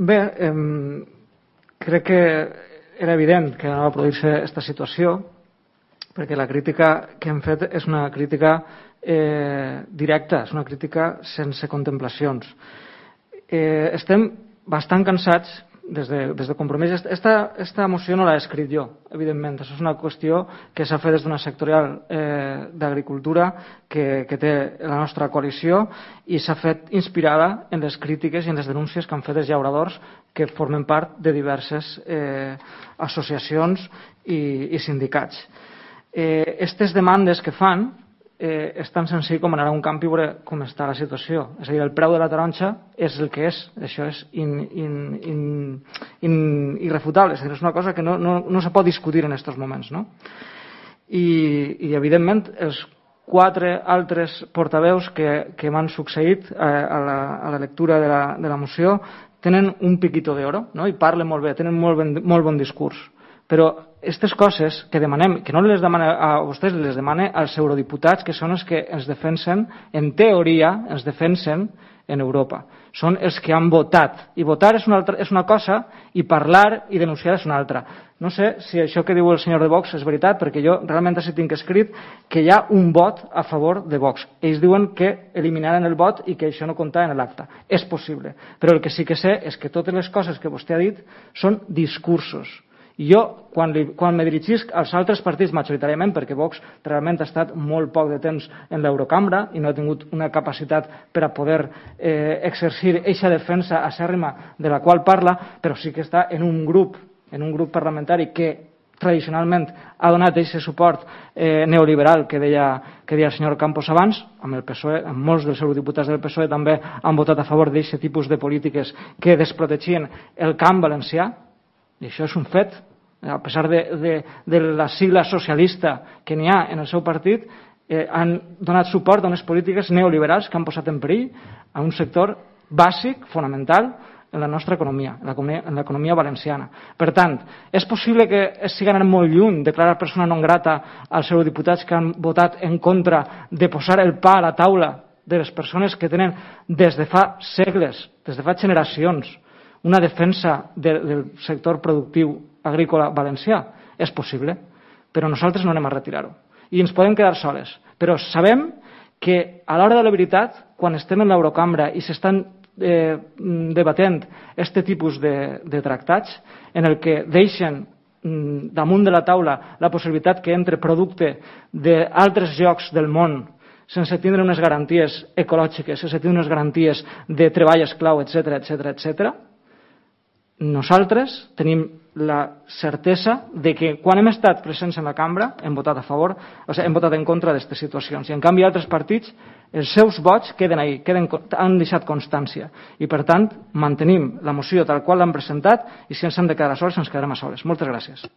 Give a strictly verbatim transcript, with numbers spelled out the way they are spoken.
Bé, eh, crec que era evident que no va produir-se aquesta situació, perquè la crítica que hem fet és una crítica eh, directa, és una crítica sense contemplacions. Eh, estem bastant cansats des de, des de Compromís. Esta, esta moció no l'he escrit jo, evidentment. Això és una qüestió que s'ha fet des d'una sectorial eh, d'agricultura que, que té la nostra coalició i s'ha fet inspirada en les crítiques i en les denúncies que han fet els llauradors que formen part de diverses eh, associacions i, i sindicats. Eh, estes demandes que fan eh, és tan senzill com anar a un camp i veure com està la situació. És a dir, el preu de la taronja és el que és. Això és in, in, in, in, irrefutable. És a dir, és una cosa que no, no, no se pot discutir en aquests moments. No? I, I, evidentment, els quatre altres portaveus que, que m'han succeït a, a, la, a la lectura de la, de la moció tenen un piquito d'oro, no? I parlen molt bé, tenen molt, ben, molt bon discurs. Però aquestes coses que demanem, que no les demane a vostès, les demane als eurodiputats, que són els que ens defensen, en teoria, ens defensen en Europa. Són els que han votat. I votar és una, altra, és una cosa i parlar i denunciar és una altra. No sé si això que diu el senyor de Vox és veritat, perquè jo realment sí tinc escrit que hi ha un vot a favor de Vox. Ells diuen que eliminaran el vot i que això no compta en l'acte. És possible. Però el que sí que sé és que totes les coses que vostè ha dit són discursos. I jo, quan, li, quan me dirigisc als altres partits, majoritàriament, perquè Vox realment ha estat molt poc de temps en l'Eurocambra i no ha tingut una capacitat per a poder eh, exercir eixa defensa acèrrima de la qual parla, però sí que està en un grup, en un grup parlamentari que tradicionalment ha donat aquest suport eh, neoliberal que deia, que deia el senyor Campos abans, amb el P S O E, amb molts dels eurodiputats del P S O E també han votat a favor d'aquest tipus de polítiques que desprotegien el camp valencià. I això és un fet, a pesar de, de, de la sigla socialista que n'hi ha en el seu partit, eh, han donat suport a unes polítiques neoliberals que han posat en perill a un sector bàsic, fonamental, en la nostra economia, en l'economia valenciana. Per tant, és possible que estiguen anant molt lluny declarar persona non grata als eurodiputats que han votat en contra de posar el pa a la taula de les persones que tenen des de fa segles, des de fa generacions, una defensa de, del sector productiu agrícola valencià. És possible, però nosaltres no anem a retirar-ho. I ens podem quedar soles. Però sabem que a l'hora de la veritat, quan estem en l'Eurocambra i s'estan eh, debatent aquest tipus de, de tractats, en el que deixen mm, damunt de la taula la possibilitat que entre producte d'altres llocs del món sense tindre unes garanties ecològiques, sense tindre unes garanties de treball esclau, etcètera, etcètera, etcètera, nosaltres tenim la certesa de que quan hem estat presents en la cambra hem votat a favor, o sigui, hem votat en contra d'aquestes situacions. I en canvi altres partits, els seus vots queden ahí, queden, han deixat constància. I per tant mantenim la moció tal qual l'han presentat i si ens hem de quedar a soles ens quedarem a soles. Moltes gràcies.